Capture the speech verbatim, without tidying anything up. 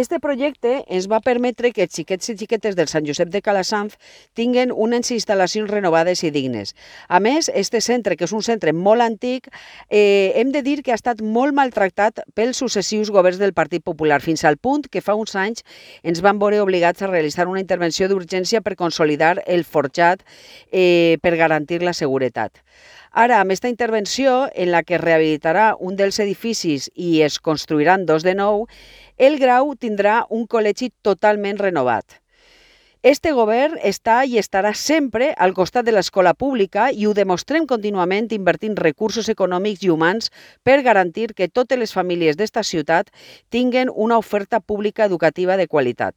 Este projecte ens va permetre que els xiquets i xiquetes del Sant Josep de Calassanç tinguen unes instal·lacions renovades i dignes. A més, este centre, que és un centre molt antic, eh, hem de dir que ha estat molt maltractat pels successius governs del Partit Popular, fins al punt que fa uns anys ens van veure obligats a realitzar una intervenció d'urgència per consolidar el forjat eh, per garantir la seguretat. Ara, amb aquesta intervenció, en la que es rehabilitarà un dels edificis i es construiran dos de nou, el Grau tindrà un col·legi totalment renovat. Este govern està i estarà sempre al costat de l'escola pública i ho demostrem contínuament invertint recursos econòmics i humans per garantir que totes les famílies d'esta ciutat tinguen una oferta pública educativa de qualitat.